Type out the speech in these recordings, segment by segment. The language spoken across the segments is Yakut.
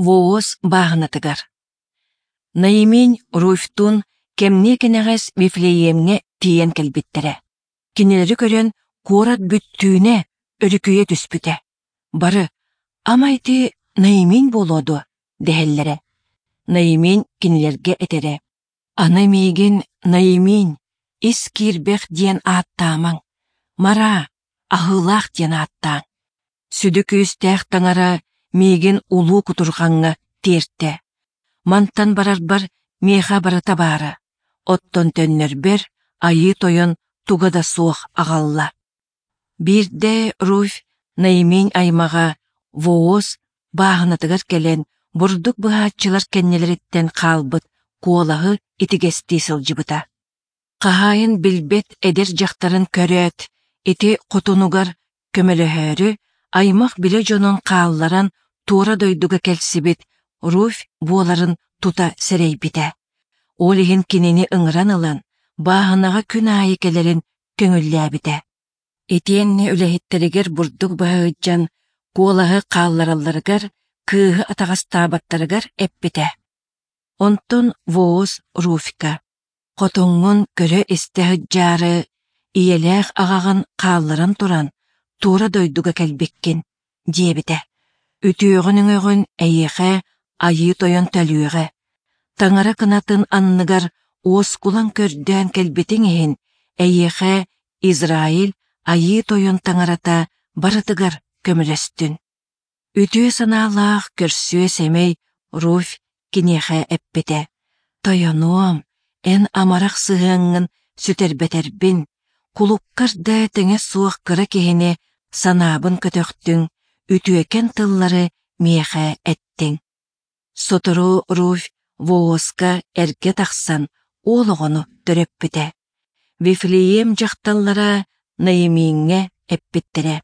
Воос бааһынатыгар. Наимень Руфьтуун кэмниэ кэнэҕэс Вифлеемҥэ тиийэн кэлбиттэрэ. Кинилэри көрөн куорат бүттүүнэ өрүкүйэ түспүтэ. Бары «Ама ити Наимень буолуо дуо?» дэһэллэрэ. Наимень кинилэргэ этэрэ: «Аны миигин Наимень, ис киирбэх диэн ааттаамаҥ, Мара, аһыылаах диэн ааттааҥ. Сүдү күүстээх таҥара миигин улуу кутурҕаҥҥа тиэртэ. Мантан барарбар миэхэ барыта баара, оттон төннөрбөр Айыы Тойон туга да суох аҕалла. Биирдэ Руфь Наимень аймаҕа Вооз бааһынатыгар кэлэн бурдук быһааччылар кэннилэриттэн хаалбыт куолаһы итигэстии сылдьыбыта. Хаһаайын билбэт эдэр дьахтарын көрөөт, ити хотунугар көмөлөһөөрү аймах-билэ дьонун хаалларан туора дойдуга кэлсибит Руфь буоларын тута сэрэйбитэ. Ол иһин кинини ыҥыран ылан, бааһынаҕа күн аайы кэлэрин көҥүллээбитэ. Итиэннэ үлэһиттэригэр бурдук быһа сылдьан куолаһы хаалларалларыгар, кыыһы атаҕастаабаттарыгар эппитэ. Онтон Вооз Руфька Хотуҥҥун көрө-истэ сылдьаары, ийэлээх аҕаҕын хаалларан туран, туора дойдуга кэлбиккин, диэбитэ. Үтүөҕүн-өҥөҕүн эйиэхэ Айыы Тойон төлүөҕэ. Таҥара кынатын анныгар уоскулаҥ көрдөөн кэлбитиҥ иһин, эйиэхэ Израиль Айыы Тойон Таҥарата барытыгар көмөлөстүн. Үтүө санаалаах көрсүө-сэмэй Руфь киниэхэ эппитэ: «Тойонуом, эн амарах сыһыаҥҥын сүтэрбэтэрбин, кулуккар да тэҥэ суох кыра киһини санаабын көтөхтүҥ, үтүөкэн тыллары миэхэ эттиҥ». Сотору Руфь Вооска эргэ тахсан уол оҕону төрөппүтэ. Вифлеем дьахталлара Наимиҥҥэ эппиттэрэ: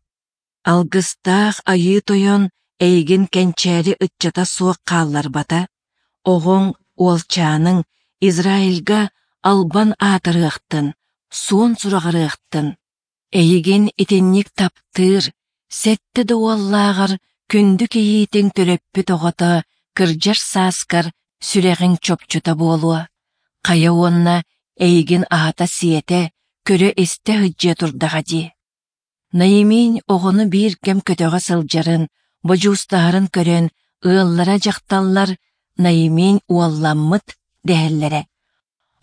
Алгыстаах Айыы Тойон эйигин кэнчээри ыччата суох хаалларбата, оҕоҥ, уолчааныҥ Израильга албан аатырыахтын, суон сураҕырыахтын. Эйигин итинник таптыыр, сэттэ да уоллааҕар күндү кийиитиҥ төрөппүт оҕото кырдьар сааскар сүрэҕиҥ чопчута буолуо. Хайа уонна эйигин аһата-сиэтэ, көрө-истэ сылдьыа турдаҕа дии. Наиминь оҕону биир кэм көтөҕө сылдьарын, бодьуустаһарын көрөн ыаллара дьахталлар Наиминь уолламмыт дэһэллэрэ.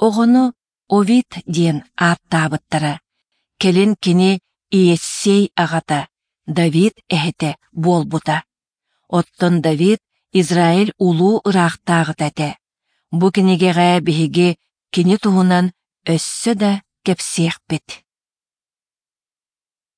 Оҕону Овид диэн ааттаабыттара. Кэлин кини Иессей аҕата, Давид эһэтэ буолбута. Оттон Давид Израиль улуу ыраахтааҕыта этэ. Бу кинигэҕэ биһиги кини туһунан өссө да кэпсиэхпит.